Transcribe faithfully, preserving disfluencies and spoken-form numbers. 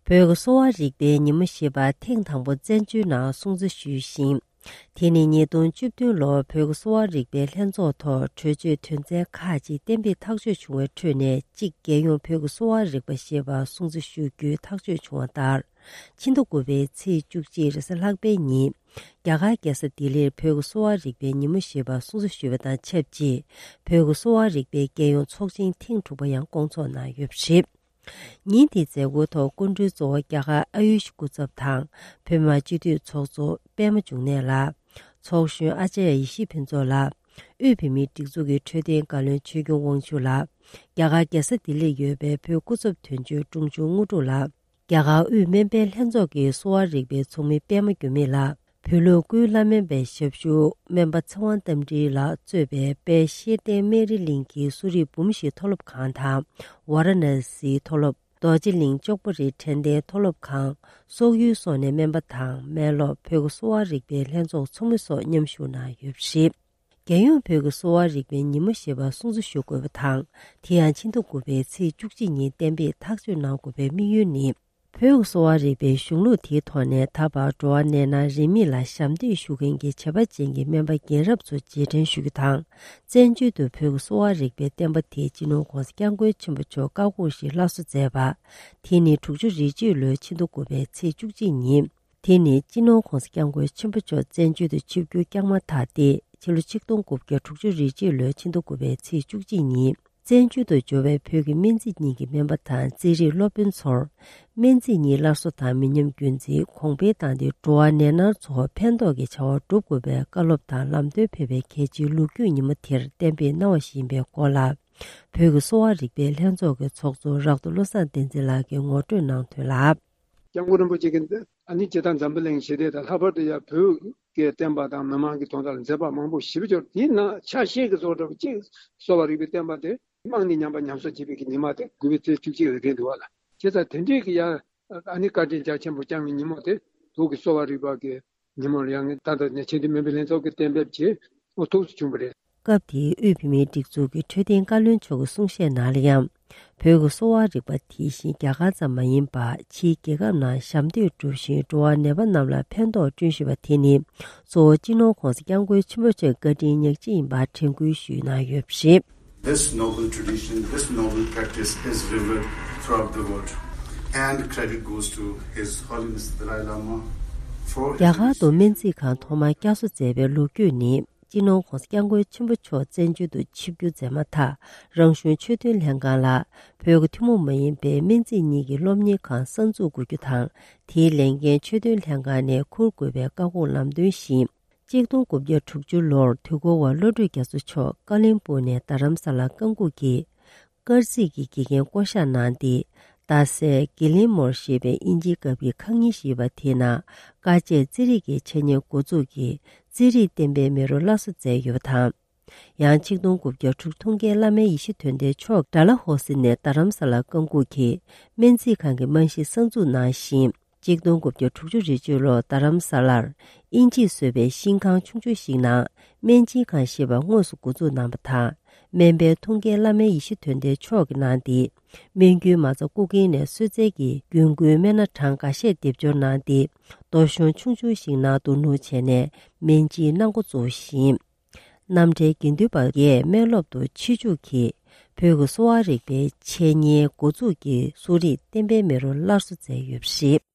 བོད་ཀྱི་གསོ་བ་རིག་པའི་ཉིན་མོ་ཞེས་པ་ཐེངས་དང་པོ་བཙན་བྱོལ་ནང་སྲུང་བརྩི་ཞུས་ཤིང་། དེ་ནི་ཉིས་སྟོང་བཅུ་བདུན་ལོར་བོད་ཀྱི་གསོ་བ་རིག་པའི་ལྷན་ཚོགས་ཐོག་གྲོས་ཆོད་དོན་ཚན་ཁག་ཅིག་གཏན་འབེབས་ཐག་གཅོད་བྱུང་བའི་ཁྲོད་ནས་གཅིག་རྒྱལ་ཡོངས་བོད་ཀྱི་གསོ་བ་རིག་པ་ཞེས་པ་སྲུང་བརྩི་ཞུ་རྒྱུའི་ཐག་གཅོད་བྱུང་བ་ལྟར། ཕྱི་ཟླ་དགུ་པའི་ཚེས་བཅུ་གཅིག་རེས་གཟའ་ལྷག་པའི་ཉིན། རྒྱ་གར་རྒྱལ་ས་ལྡི་ལིར་བོད་ཀྱི་གསོ་བ་རིག་པའི་ཉིན་མོ་ཞེས་པ་སྲུང་བརྩི་ཞུས་པ་དང་ཆབས་ཅིག་བོད་ཀྱི་གསོ་བ་རིག་པའི་རྒྱལ་ཡོངས་ཚོགས་ཆེན་ཐེངས་དྲུག་པ་ཡང་བསྐོང་ཚོགས་གནང་ཡོད་པ་རེད། ཉིན་དེའི་མཛད་སྒོའི་ཐོག་སྐུ་མགྲོན་གཙོ་བོ་རྒྱ་གར་ཨ་ཡུཤ་སྐུ་ཚབ་དང་བོད་མི་མང་སྤྱི་འཐུས་ཚོགས་གཙོ་པད་མ་འབྱུང་གནས་ལགས། ཚོགས་གཞོན་ཨ་ཅརྱ་ཡེ་ཤེས་ཕུན་ཚོགས་ལགས། དབུས་བོད་མིའི་སྒྲིག་འཛུགས་ཀྱི་འཕྲོད་བསྟེན་བཀའ་བློན་ཆོས་སྐྱོང་དབང་ཕྱུག་ལགས། རྒྱ་གར་རྒྱལ་ས་ལྡི་ལིར་ཡོད་པའི་བོད་སྐུ་ཚབ་དོན་གཅོད་འབྲོང་ཆུང་དངོས་གྲུབ་ལགས། རྒྱ་གར་དབུས་སྨན་པའི་ལྷན་ཚོགས་ཀྱི་གསོ་བ་རིག་པའི་ཚོགས་མི་པད་མ་འགྱུར་མེད་ལགས། བོད་ལུགས་སྐུའི་བླ་སྨན་པའི་ཞབས་ཞུ་སྨན་པ་ཚེ་དབང་རྟ་མགྲིན་ལགས་གཙོས་པའི་དཔལ་ཤེར་ལྡན་སྨན་རིའི་གླིང་གི་གསོ་རིག་འབུམ་བཞིའི་མཐོ་སློབ་ཁང་དང་། ཝཱ་ར་ཎ་སིའི་མཐོ་སློབ། རྡོ་རྗེ་གླིང་ལྕགས་པོ་རིའི་ཕྲན་བསྟེན་མཐོ་སློབ་ཁང་། སོག་ཡུལ་སོགས་ནས་སྨན་པ་དང་སྨན་སློབ། བོད་ཀྱི་གསོ་བ་རིག་པའི་ལྷན་ཚོགས་ཚོགས་མི་སོགས་མཉམ་ཞུགས་གནང་ཡོད་པ་རེད། རྒྱལ་ཡོངས་བོད་ཀྱི་གསོ་བ་རིག་པའི་ཉིན་མོ་ཞེས་པ་སྲུང་བརྩི་ཞུ་དགོས་པ་དང་། དེ་ཡང་ཕྱི་ཟླ་དགུ་པའི་ཚེས་བཅུ་གཅིག་ཉིན་གཏན་འབེབས་ཐག་གཅོད་གནང་དགོས་པའི་དམིགས་ཡུལ་ནི། བོད་ཀྱི་གསོ་བ་རིག་པའི་གཞུང་ལུགས་དེའི་ཐོག་ནས་ད་བར་འགྲོ་བ་ནད་མནར་རིན་མེད་ལ་ཞབས་འདེགས་ཞུ་མཁན་གྱི་བྱས་པ་ཅན་གྱི་སྨན་པ་རྒན་རབས་ཚོ་རྗེས་དྲན་ཞུ་རྒྱུ་དང་། བཙན་བྱོལ་དུ་བོད་ཀྱི་གསོ་བ་རིག་པའི་བསྟན་པ་དེ་སྤྱི་ནོར་༧གོང་ས་༧སྐྱབས་མགོན་ཆེན་པོ་མཆོག་བཀའ་དགོངས་བཞིན་སླར་གསོ་མཛད་པ། དེ་ནི་དྲུག་ཅུ་རེ་གཅིག་ལོའི་ཕྱི་ཟླ་དགུ་པའི་ཚེས་བཅུ་གཅིག་ཉིན། དེ་ནི་སྤྱི་ནོར་༧གོང་ས་༧སྐྱབས་མགོན་ཆེན་པོ་མཆོག་བཙན་བྱོལ་དུ་ཆིབས་བསྒྱུར་བསྐྱངས་མ་ཐག་སྟེ། ཕྱི་ལོ་ཆིག་སྟོང་དགུ་བརྒྱ་དྲུག་ཅུ་རེ་གཅིག་ལོའི་ཕྱི་ཟླ་དགུ་པའི་ཚེས་བཅུ་གཅིག་ཉིན། བཙན་བྱོལ་དུ་འབྱོར་བའི་བོད་ཀྱི་སྨན་རྩིས་གཉིས་ཀྱི་སྨན་པ་དང་རྩིས་རིག་སློབ་དཔོན་ཚོར། སྨན་རྩིས་གཉིས་སླར་གསོ་དང་མི་ཉམས་རྒྱུན་འཛིན་གོང་འཕེལ་བཏང་སྟེ། འགྲོ་བ་ནད་མནར་ཚོར་ཕན་ཐོགས་ཀྱི་བྱ་བ་བསྒྲུབ་དགོས་པའི་བཀའ་སློབ་དང་ལམ་སྟོན་ཕེབས་པའི་གལ་ཆེའི་ལོ་རྒྱུས་ཉིན་མོ་དེར་གཏན་འབེབས་གནང་བ་ཞིག་ཡིན་པའི་སྐོར་ལ། བོད་ཀྱི་གསོ་བ་རིག་པའི་ལྷན་ཚོགས་ཀྱི་ཚོགས་གཙོ་རག་ཏུ་བློ་བཟང་བསྟན་འཛིན་ལགས་ཀྱིས་ངོ་སྤྲོད་གནང་དོན་ལ། སྐྱབས་མགོན་རིན་པོ་ཆེ་གིས་ཨ་ནི་སྤྱིར་བཏང་འཛམ་བུ་གླིང་ཞི་བདེ་དང་ལྷག་པར་དུ་ཡང་བོད་ཀྱི་བསྟན་པ་དང་མི་མང་གི་དོན་དག་ལ་མཛད་པ་མང་པོ་ཞེ་པོ་ཅིག་དེའི་ནང་ཆ་ཤས་ཀྱི་བཟོ་འདྲ་པོ་གཅིག་གསོ་བ་རིག་པའི་བསྟན་པ་དེ་རྨང་ནས་ཉམས་པ་ཉམས་གསོ་བྱེད་པའི་གི་ཉི་མ་དེ་དགུ་པའི་ཚེས་བཅུ་གཅིག་ལ་རེད་འདུག་བ་ལ། བྱས་ཙང་དེ་འདྲའི་གི་ཡང་ཨ་ནི་བཀའ་དྲིན་རྒྱ་ཆེན་པོ་བསྐྱངས་པའི་ཉིན་མོ་དེ་བོད་ཀྱི་གསོ་བ་རིག་པ་གི་ཉིན་མོ་ལ་ཡང་ད་ལྟ་ནས་ཆེས་མཐོའི་སྨན་པའི་ལྷན་ཚོགས་ཀྱིས་གཏན་འབེབས་བྱས་ཨོ་ཐུགས་སུ་བྱུང་བ་རེད། སྐབས་དེའི་དབུས་བོད་མིའི་སྒྲིག་འཛུགས་ཀྱི་འཕྲོད་བསྟེན་བཀའ་བློན་མཆོག་གི་གསུང་བཤད་ནང་ལ་ཡང་། བོད་ཀྱི་གསོ་བ་རིག་པ་དེ་བཞིན་རྒྱ་གར་ཙམ་མ་ཡིན་པར་ཕྱིའི་རྒྱལ་ཁབ་ནང་ཞབས་འདེགས་སྒྲུབ་བཞིན་འགྲོ་བ་ནད་པ་རྣམས་ལ་ཕན་ཐོགས་བསྐྲུན་བཞིན་པ་དེ་ནི། གཙོ་བོ་སྤྱི་ནོར་༧གོང་ས་༧སྐྱབས་མགོན་ཆེན་པོ་མཆོག་བཀའ་དྲིན་ཉག་གཅིག་ཡིན་པར་དྲན་སྐུལ་ཞུས་གནང་ཡོད་པ་རེད། This noble tradition, this noble practice is revered throughout the world, and credit goes to His Holiness the Dalai Lama for his རྒྱ་གར་དུ་སྨན་རྩིས་ཁང་ཐོག་མར་བསྐྱར་གསོ་མཛད་པའི་ལོ་རྒྱུས་ནི། སྤྱི་ནོར་༧གོང་ས་༧སྐྱབས་མགོན་ཆེན་པོ་མཆོག་བཙན་བྱོལ་དུ་ཆིབས་བསྒྱུར་མཛད་མ་ཐག་རང་གཞུང་ཆོས་དོན་ལྷན་ཁང་ལ་བོད་ཀྱི་ཐུན་མོང་མ་ཡིན་པའི་སྨན་རྩིས་གཉིས་ཀྱི་སློབ་གཉེར་ཁང་གསར་འཛུགས་དགོས་རྒྱུ་དང་། དེའི་ལས་འགན་ཆོས་དོན་ལྷན་ཁང་ནས་འཁུར་དགོས་པའི་བཀའ་དགོངས་ལམ་སྟོན་བཞིན། གཅིག་སྟོང་དགུ་བརྒྱ་དྲུག་ཅུ་ལོར་དུས་འཁོར་བ་བློ་གྲོས་རྒྱ་མཚོ་མཆོག་ཀ་ལོན་སྦུག་ནས་རྡ་རམ་ས་ལར་བཀའ་འགུགས་ཀྱིས། སྐར་རྩིས་ཀྱི་དགེ་རྒན་བསྐོ་གཞག་གནང་སྟེ། རྡ་སའི་གི་ལིན་མོར་ཞེས་པའི་དབྱིན་ཇིའི་སྐབས་ཀྱི་ཁང་རྙིང་ཞིག་ཡོད་པ་དེའི་ནང་དཀའ་སྤྱད་རྩིས་རིག་གི་འཆད་ཉན་འགོ་འཛུགས་ཀྱིས་རྩིས་རིག་བསྟན་པའི་མེ་རོ་སླར་གསོ་མཛད་ཡོད་པ་དང་། ཡང་ཆིག་སྟོང་དགུ་བརྒྱ་དྲུག་ཐུགས་འགན་བླ་སྨན་ཡེ་ཤེས་དོན་ལྡན་མཆོག་ཌལ་ཧོ་སི་ནས་རྡ་རམ་ས་ལར་བཀའ་འགུགས་ཀྱིས་སྨན་རྩིས་ཁང་གི་རྨང་གཞི་གསར་འཛུགས་གནང་ཞིང་། གཅིག་སྟོང་དགུ་བརྒྱ་དྲུག་ཅུ་རེ་གཅིག་ལོར་རྡ་རམ་ས་ལར་དབྱིན་ཇིས་བཟོས་པའི་ཤིང་ཁང་ཆུང་ཆུང་ཞིག་ནང་སྨན་སྦྱིན་ཁང་ཞེས་པ་དངོས་སུ་འགོ་འཛུགས་གནང་བ་དང་། སྨན་པའི་ཐུགས་འགན་བླ་སྨན་ཡེ་ཤེས་དོན་ལྡན་མཆོག་གིས་གནང་སྟེ། སྨན་རྒྱུའི་མ་རྩ་རྐུ་མཁན་ནས་གསོལ་རྫས་ཀྱི་རྒྱུན་མཁོའི་སྨན་སྣ་གྲངས་འགའ་ཤས་སྡེབ་སྦྱོར་གནང་སྟེ། རྡོ་གཞོང་ཆུང་ཆུང་ཞིག་ནང་བསྡུ་སྣུར་བྱས་ནས་སྨན་སྦྱིན་གནང་འགོ་བཙུགས་ཤིང་། རྣམ་གྲྭའི་དགེ་འདུན་པ་འགས་སྨན་སློབ་ཏུ་ཆེད་འཇུག་གིས་བོད་ཀྱི་གསོ་བ་རིག་པའི་འཆད་ཉན་འགོ་འཛུགས་ཀྱིས་གསོ་རིག་བསྟན་པའི་མེ་རོ་སླར་གསོ་མཛད་ཡོད་པ་རེད།